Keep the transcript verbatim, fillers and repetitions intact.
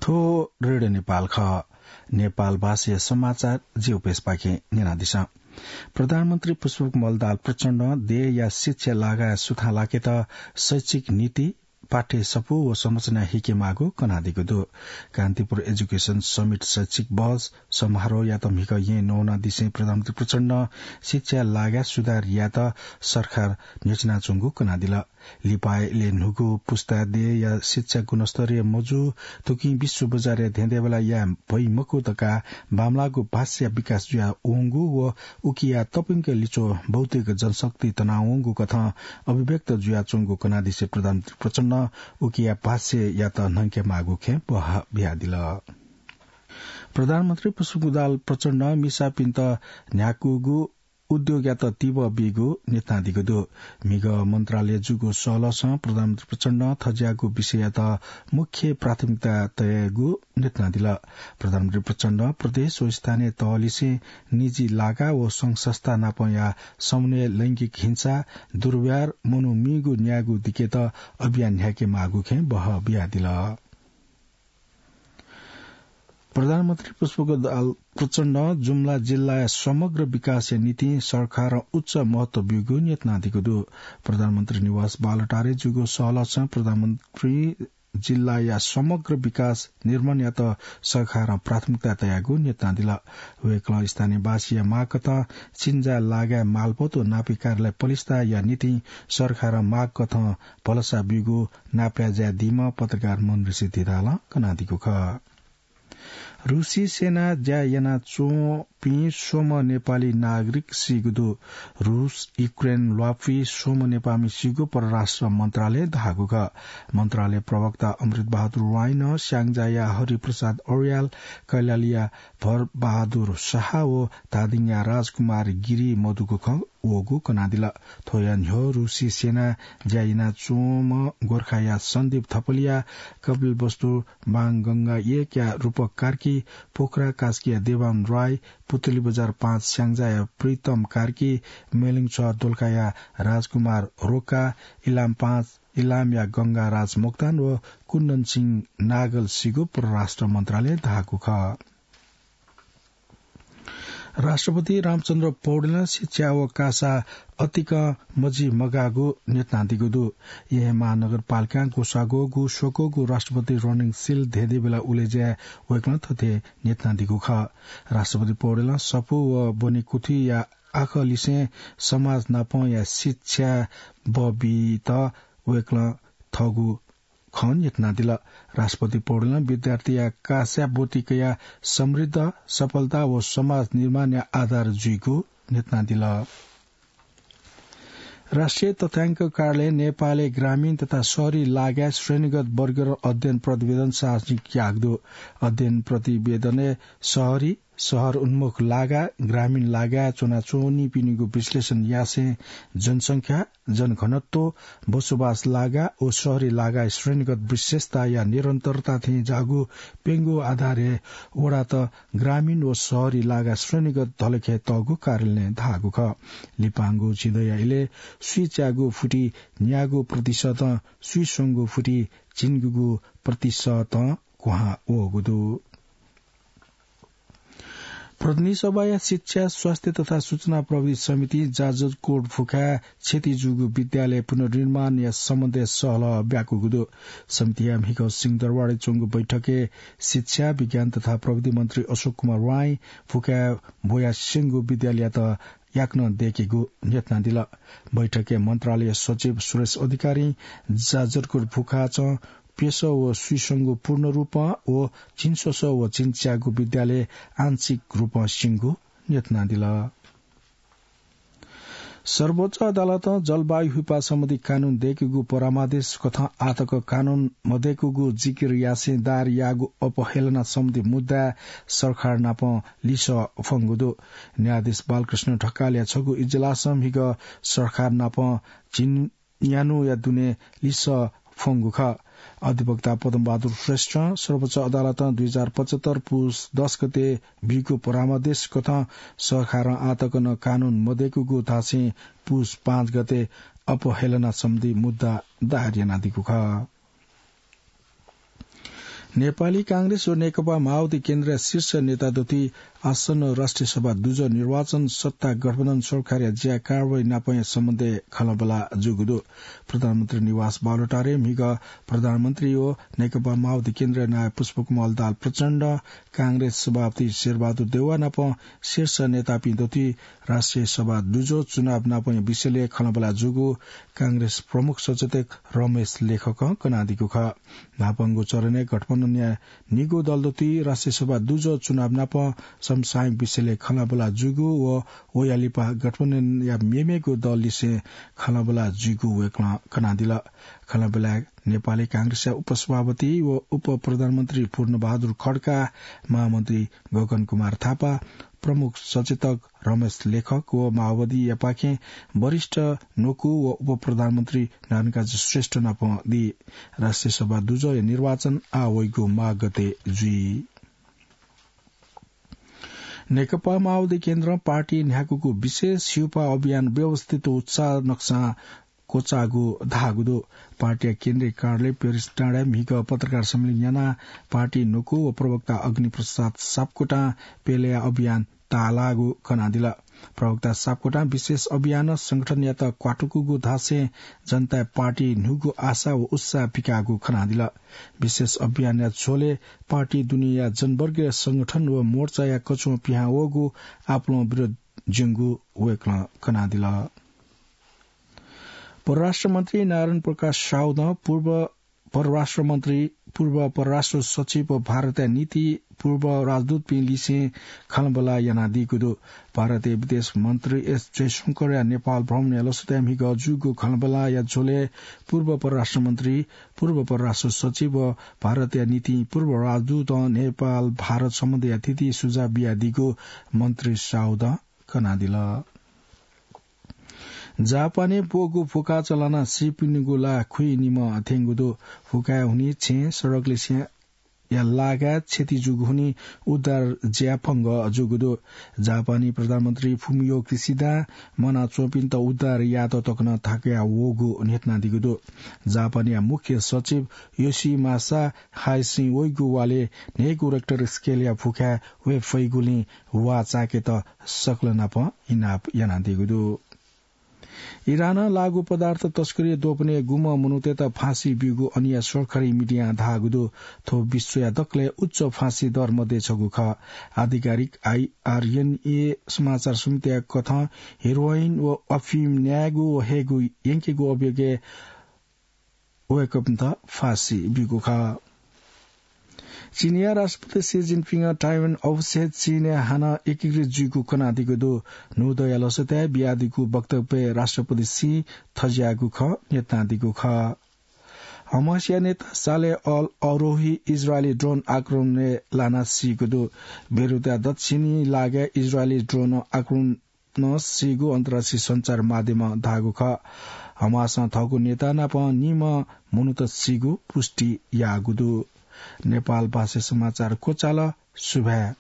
थ्व रेडियो नेपाल खः। नेपाल भाषाया समाचार जिगु पेजपाखें न्यनादिसँ। प्रधानमन्त्री पुष्पकमल दाहाल प्रचण्डं देय्‌या शिक्षा लागाय् सुथां लाकेत शैक्षिक नीति, पाठ्य सफू व संरचना हिकेमाःगु कनादीगु दु। कान्तिपुर एजुकेसन समिट शैक्षिक बहस समारोहयात म्हिगः येँ नवानादिसें प्रधानमन्त्री प्रचण्डं शिक्षा लागाय् सुधार यायेत सरकार न्ह्यचिनाच्वंगु कनादिल। लिपाया इलय् न्हूगु पुस्ता देय्‌या शिक्षा गुणस्तरीय मजू, थुकिं विश्व बजारय् धेंधेंबेला याये भइ मखु धकाः बांमलाःगु भाषाया विकास जुयावंगु व उकिया तप्यंक लिच्वः भौतिक जनशक्ति तनावंगु कथं अभिव्यक्त जुयाच्वंगु कनादिसें प्रधानमन्त्री प्रचण्डं उकिया भाषायात न्हंकेमाःगु खँय् बहः बियादिल। प्रधानमन्त्री पुष्पकमल दाहाल प्रचण्डं मिसापिन्त न्ह्याकूगु उद्योगयात तिबः बीगु न्ह्यथनादीगु दु। म्हिगः मन्त्रालयय् जूगु सहलहसं प्रधानमन्त्री प्रचण्डं थज्याःगु विषययात मुख्य प्राथमिकता तयागु न्ह्यथनादिल। प्रधानमन्त्री प्रचण्डं प्रदेश व स्थानीय तहलिसें निजी लागा व संघ संस्था नापंया समन्वय, लैंगिक हिंसा, दुर्व्यवहार, मनू मीगु न्यायेगु दिकेत अभियान न्ह्याकेमाःगु खँय् बहः बियादिल। प्रधानमन्त्री पुष्पकमल दाहाल प्रचण्डं जुम्ला जिल्लाया समग्र विकासया निंतिं सरकारं उच्च महत्व ब्यूगु न्ह्यथनादीगु दु। प्रधानमन्त्री निवास बालुवाटारय् जूगु सहलहसं प्रधानमन्त्री जिल्लाया समग्र विकास निर्माणयात सरकारं प्राथमिकता तयागु न्ह्यथनादिल। वय्‌कलं स्थानीयवासीया माग कथं चिन्जा लागाय् मालपोत व नापय् कार्यालय पलिस्था यायेगु निंतिं सरकारं माग कथं भलसा ब्यूगु नापय् ज्या दीम्ह पत्रकार मनऋषि धितालं कनादीगु खः। रूसी सेनाय् ज्या यानाच्वंपिं स्वम्ह नेपाली नागरिक सीगु दु। रूस, युक्रेन ल्वापुइ स्वम्ह नेपाःमि सीगु परराष्ट्र मन्त्रालयं धाःगु खः। मन्त्रालय प्रवक्ता अमृत बहादुर वाइं नं स्याङ्जाया हरिप्रसाद अर्याल, कैलालीया भरबहादुर शाह व धादिङया राजकुमार गिरी मदुगु खँ वःगु कनादिल। थ्वया न्ह्यः रूसी सेनाय् ज्या यानाच्वंम्ह गोर्खाया सन्दीप थपलिया, कपिलवस्तु बांगंगा एकया रूपक कार्की, पोखरा कास्कीया देवान राई, पुतली बजार पाँच स्याङ्जाया प्रीतम कार्की, मेलिङ छ दोलखाया राजकुमार रोका, इलाम पाँच इलामया गंगाराज मोक्तान व कुन्दन सिंह नागल सीगु परराष्ट्र मन्त्रालयं धाःगु खः। राष्ट्रपति रामचन्द्र पौडेलं शिक्षा व कासा अतिकं मजिमगाःगु न्ह्यथनादीगु दु। येँ महानगरपालिकां ग्वसाः ग्वःगु स्वक्वःगु राष्ट्रपति रनिङ सिल धेंधेंबेला उलेज्याय् वय्‌कलं थथे न्ह्यथनादीगु खः। राष्ट्रपति पौडेलं सफू व ब्वनेकुथिया आखःलिसें समाज नापंया शिक्षा बबीत वय्‌कलं थःगु खँ न्ह्यथनादिल। राष्ट्रपति पौडेलं विद्यार्थीया कासाय् ब्वति कयाः समृद्ध, सफलता व समाज निर्माणया आधार जुइगु न्ह्यथनादिल। राष्ट्रिय तथ्याङ्क कार्यालयं नेपालय् ग्रामीण तथा शहरी लागाय् श्रेणीगत वर्गीकरण अध्ययन प्रतिवेदन सार्वजनिक याःगु दु। अध्ययन प्रतिवेदनय् शहरी, शहर उन्मुख लागा, ग्रामीण लागाय् च्वनाच्वनीपिनिगु विश्लेषण यासें जनसंख्या, जनघनत्व, बसोबास लागा व शहरी लागाय् श्रेणीगत विशेषताया निरन्तरता थें जाःगु प्यंगू आधारय् वडात ग्रामीण व शहरी लागा श्रेणीगत धलखय् तःगु कार्यालयं धाःगु खः। लिपांगु झिदँया इलय् स्वीच्यागू फुति न्यागू प्रतिशतं स्वीस्वंगू फुति झिंगूगू प्रतिशतं क्वहां वःगु दु। प्रतिनिधि सभाया शिक्षा, स्वास्थ्य तथा सूचना प्रविधि समितिं जाजरकोट भुखाय् क्षति जूगु विद्यालय पुनर्निर्माणया सम्बन्धय् सहलह ब्याकूगु दु। समितिया म्हिगः सिंहदरबारय् च्वंगु बैठकय् शिक्षा, विज्ञान तथा प्रविधि मन्त्री अशोक कुमार वाइं भुखाय् ब्वयाः स्यंगू विद्यालययात याकनं दय्केगु न्ह्यथनादिल। बैठकय् मन्त्रालय सचिव सुरेश अधिकारीं जाजरकोट भुखाचं प्यसः व स्वीस्वंगू पूर्ण रूपं व झिंस्वसः व झिंच्यागू विद्यालय आंशिक रूपं स्यंगू न्ह्यथनादिल। सर्वोच्च अदालतं जलवायु हुइप्वाः सम्बन्धी कानून दय्केगु परामर्श कथं आःतक कानून मदय्कूगु जिकिर यासें दायर याःगु अपहेलना सम्बन्धी मुद्दाय् सरकार नाप लिसः फ्वंगु दु। न्यायाधीश बालकृष्ण ढकालया छगू इजलासं म्हिगः सरकार नाप झिं न्यान्हुया दुने लिसः फ्वंगु खः। अधिवक्ता पद्मबहादुर श्रेष्ठं सर्वोच्च अदालतं दुई हजार पचहत्तर पुस दस गते बीगु परामर्श कथं सरकारं आःतक नं कानून मदय्कूगु धासें पुस पाँच गते अपहेलना सम्बन्धी मुद्दा दायर यानादीगु खः। नेपाली कांग्रेस व नेकपा माओवादी केन्द्रया शीर्ष नेता दथुइ आसन्न राष्ट्रिय सभा दुजः निर्वाचन सत्ता गठबन्धन सरकारया ज्या कारवाही नापया सम्बन्धय् खँल्हाबल्हा जूगु दु। प्रधानमन्त्री निवास बालुवाटारय् म्हिगः प्रधानमन्त्री व नेकपा माओवादी केन्द्रया नायः पुष्पकमल दाहाल प्रचण्ड, कांग्रेस सभापति शेरबहादुर देउवा नाप शीर्ष नेतापिं दथुइ राष्ट्रिय सभा दुजः चुनाव नापया विषयलय् खँल्हाबल्हा जूगु कांग्रेस प्रमुख सचेतक रमेश लेखकं कनादीगु खः। न्हापांगु चरणय् गठबन्धनया निगू दल दथुइ राष्ट्रिय सभा दुजः चुनाव नाप समसामयिक विषयलय् खँल्हाबल्हा जूगु व वया लिपा गठबन्धनया मेमेगु दललिसें खँल्हाबल्हा जूगु वय्कलं कनादिल। खँल्हाबल्हाय् नेपाली कांग्रेसया उपसभापति व उपप्रधानमन्त्री पूर्णबहादुर खड्का, महामन्त्री गगन कुमार थापा, प्रमुख सचेतक रमेश लेखक व माओवादीयापाखें वरिष्ठ न्वकू व उपप्रधानमन्त्री नारायणकाजी श्रेष्ठ नाप दी। राष्ट्रिय सभा दुजःया निर्वाचन आः वइगु माघ गते जुइ। नेकपा माओवादी केन्द्रं पार्टी न्ह्याकूगु विशेष हिउपाः अभियान व्यवस्थित उत्साह नक्सां क्वचाःगु धाःगु दु। पार्टीया केन्द्रीय कार्यालय पेरिस डाँडाय् म्हिगः पत्रकार सम्मेलन यानाः पार्टी न्वकू व प्रवक्ता अग्निप्रसाद सापकोटां पेलया अभियान ताःलाःगु कनादिल। प्रवक्ता सापकोटां विशेष अभियानं संगठनयात क्वातुकूगु धासें जनताय् पार्टी न्हूगु आशा व उत्साह पिकाःगु कनादिल। विशेष अभियानया झ्वलय् पार्टी दुनेया जनवर्गीय संगठन व मोर्चाया कछुं पिहां वःगु आपालं विरोध ज्यूगु वय्कलं कनादिल। परराष्ट्र मन्त्री नारायण प्रकाश साउदं पूर्व परराष्ट्र मन्त्री, पूर्व परराष्ट्र सचिव व भारतया निंतिं पूर्व राजदूतपिं लिसें खँल्हाबल्हा यानादीगु दु। भारतया विदेश मन्त्री एस जयशंकरया नेपाल भ्रमणया लसताय् म्हिगः जूगु खँल्हाबल्हाया झ्वलय् पूर्व परराष्ट्र मन्त्री, पूर्व परराष्ट्र सचिव व भारतया निंतिं पूर्व राजदूतं नेपाल भारत सम्बन्धया थीथी सुझाव बियादीगु मन्त्री साउदं कनादिल। जापानय् ब्वःगु फुक्का चलानाः सीपिनिगु ला खुइनिम्ह थ्यंगु दु। फुक्काया हुनिं छेँ सडकलिसेया लागाय् क्षति जूगु हुनिं उद्धार ज्या फंगः जूगु दु। जापानी प्रधानमन्त्री फुमियो किसिदां म्वानाच्वंपिन्त उद्धार यायेत तकं थाकया वःगु न्ह्यथनादीगु दु। जापानया मुख्य सचिव योशिमासा हायसिं वइगु वालय् न्हय्गू रेक्टर स्केलया फुक्काय् वये फइगुलिं वा चाय्केत सकल नाप इनाप यानादीगु दु। इरानं लागू पदार्थ तस्करी द्वपनय् गुम्ह मनूतय्त फाँसी ब्यूगु अनिया सरकारी मिडियां धाःगु दु। थ्व विश्वया दकलय् उच्च फाँसी दर मध्ये छगू खः। आधिकारिक आइआरएनए समाचार संस्थाया कथं हेरोइन व अफिम न्यायेगु व हयेगु यंकेगु अभियोगय् वय्कःपिन्त फाँसी ब्यूगु खः। चीनया राष्ट्रपति सी जिनपिङं ताइवान अवशेष चीनय् हानं एकीकृत जुइगु कनादीगु दु। न्हूदँया लसताय् बियादीगु वक्तव्यय् राष्ट्रपति सी थज्याःगु खँ न्ह्यथनादीगु खः। हमासया नेता सालेह अल अरोही इजरायली ड्रोन आक्रमणय् लानाः सीगु दु। बेरुतया दक्षिणी लागाय् इजरायली ड्रोन आक्रमण नं सीगु अन्तर्राष्ट्रिय सञ्चार माध्यमं धाःगु खः। हमासं थःगु नेता नाप निम्ह मनूत सीगु पुष्टि याःगु दु। नेपाल भाषा समाचार क्वचाल। सुभाय्।